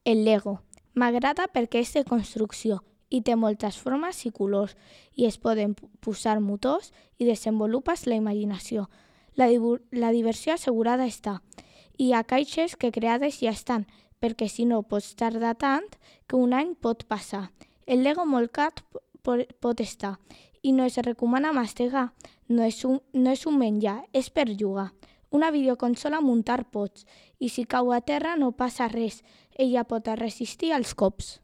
El Lego. M'agrada perquè és de construcció i té moltes formes i colors i es poden posar motors i desenvolupes la imaginació. La diversió assegurada està. Hi ha caixes que creades ja estan, perquè si no pots tardar tant que un any pot passar. El Lego molt car pot estar i no es recomana mastegar. No és un menjar, és per jugar. Una videoconsola muntar pots i si cau a terra no passa res, ella pot resistir als cops.